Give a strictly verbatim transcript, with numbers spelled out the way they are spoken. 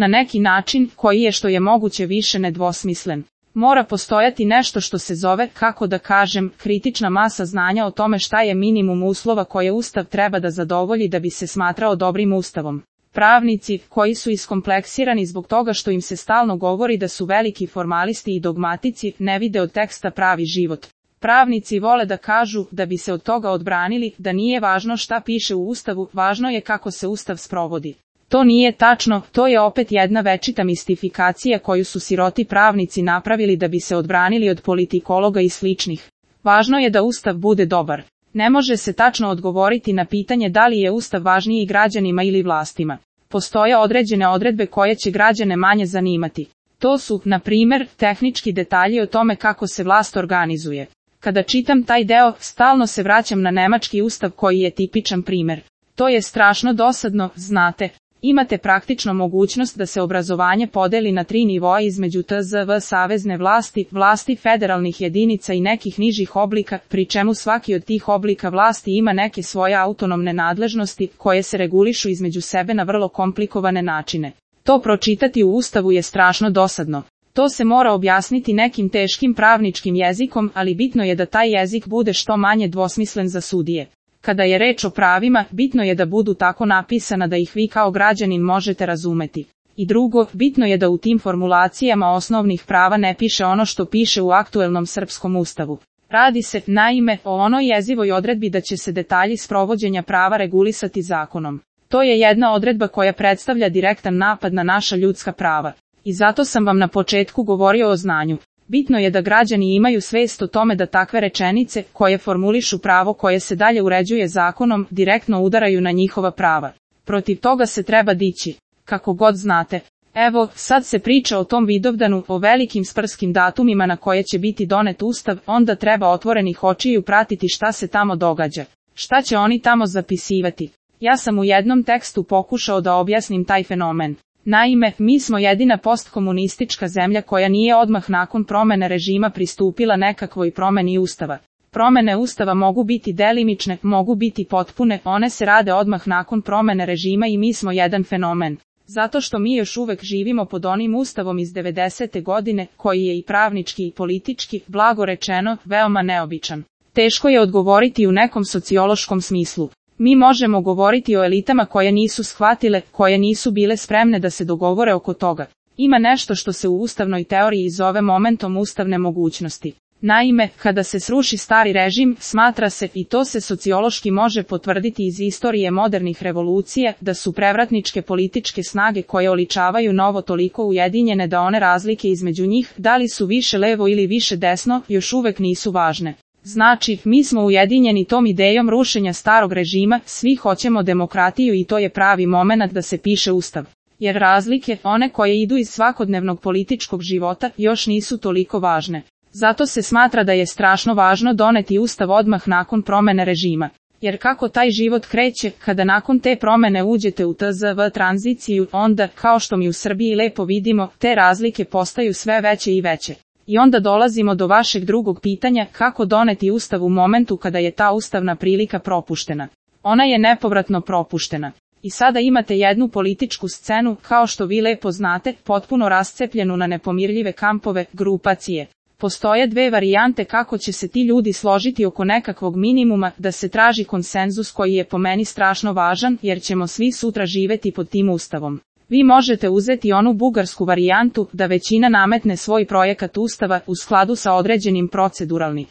Na neki način, koji je što je moguće više nedvosmislen. Mora postojati nešto što se zove, kako da kažem, kritična masa znanja o tome šta je minimum uslova koje Ustav treba da zadovolji da bi se smatrao dobrim Ustavom. Pravnici, koji su iskompleksirani zbog toga što im se stalno govori da su veliki formalisti i dogmatici, ne vide od teksta pravi život. Pravnici vole da kažu, da bi se od toga odbranili, da nije važno šta piše u Ustavu, važno je kako se Ustav sprovodi. To nije tačno, to je opet jedna večita mistifikacija koju su siroti pravnici napravili da bi se odbranili od politikologa i sličnih. Važno je da Ustav bude dobar. Ne može se tačno odgovoriti na pitanje da li je Ustav važniji građanima ili vlastima. Postoje određene odredbe koje će građane manje zanimati. To su, na primjer, tehnički detalji o tome kako se vlast organizuje. Kada čitam taj deo, stalno se vraćam na nemački ustav koji je tipičan primjer. To je strašno dosadno, znate. Imate praktično mogućnost da se obrazovanje podeli na tri nivoa između T Z V savezne vlasti, vlasti federalnih jedinica i nekih nižih oblika, pri čemu svaki od tih oblika vlasti ima neke svoje autonomne nadležnosti, koje se regulišu između sebe na vrlo komplikovane načine. To pročitati u Ustavu je strašno dosadno. To se mora objasniti nekim teškim pravničkim jezikom, ali bitno je da taj jezik bude što manje dvosmislen za sudije. Kada je reč o pravima, bitno je da budu tako napisana da ih vi kao građanin možete razumeti. I drugo, bitno je da u tim formulacijama osnovnih prava ne piše ono što piše u aktuelnom srpskom ustavu. Radi se, naime, o onoj jezivoj odredbi da će se detalji sprovođenja prava regulisati zakonom. To je jedna odredba koja predstavlja direktan napad na naša ljudska prava. I zato sam vam na početku govorio o znanju. Bitno je da građani imaju svest o tome da takve rečenice, koje formulišu pravo koje se dalje uređuje zakonom, direktno udaraju na njihova prava. Protiv toga se treba dići. Kako god znate. Evo, sad se priča o tom Vidovdanu, o velikim sprskim datumima na koje će biti donet ustav, onda treba otvorenih očiju pratiti šta se tamo događa. Šta će oni tamo zapisivati? Ja sam u jednom tekstu pokušao da objasnim taj fenomen. Naime, mi smo jedina postkomunistička zemlja koja nije odmah nakon promene režima pristupila nekakvoj promeni ustava. Promene ustava mogu biti delimične, mogu biti potpune, one se rade odmah nakon promene režima i mi smo jedan fenomen. Zato što mi još uvek živimo pod onim ustavom iz devedesete godine, koji je i pravnički i politički, blago rečeno, veoma neobičan. Teško je odgovoriti u nekom sociološkom smislu. Mi možemo govoriti o elitama koje nisu shvatile, koje nisu bile spremne da se dogovore oko toga. Ima nešto što se u ustavnoj teoriji zove momentom ustavne mogućnosti. Naime, kada se sruši stari režim, smatra se, i to se sociološki može potvrditi iz istorije modernih revolucija, da su prevratničke političke snage koje oličavaju novo toliko ujedinjene da one razlike između njih, da li su više levo ili više desno, još uvek nisu važne. Znači, mi smo ujedinjeni tom idejom rušenja starog režima, svi hoćemo demokratiju i to je pravi momenat da se piše ustav. Jer razlike, one koje idu iz svakodnevnog političkog života, još nisu toliko važne. Zato se smatra da je strašno važno doneti ustav odmah nakon promene režima. Jer kako taj život kreće, kada nakon te promene uđete u T Z V tranziciju, onda, kao što mi u Srbiji lepo vidimo, te razlike postaju sve veće i veće. I onda dolazimo do vašeg drugog pitanja, kako doneti ustav u momentu kada je ta ustavna prilika propuštena. Ona je nepovratno propuštena. I sada imate jednu političku scenu, kao što vi lepo znate, potpuno rascepljenu na nepomirljive kampove, grupacije. Postoje dve varijante kako će se ti ljudi složiti oko nekakvog minimuma, da se traži konsenzus koji je po meni strašno važan, jer ćemo svi sutra živeti pod tim ustavom. Vi možete uzeti onu bugarsku varijantu, da većina nametne svoj projekat ustava u skladu sa određenim proceduralnim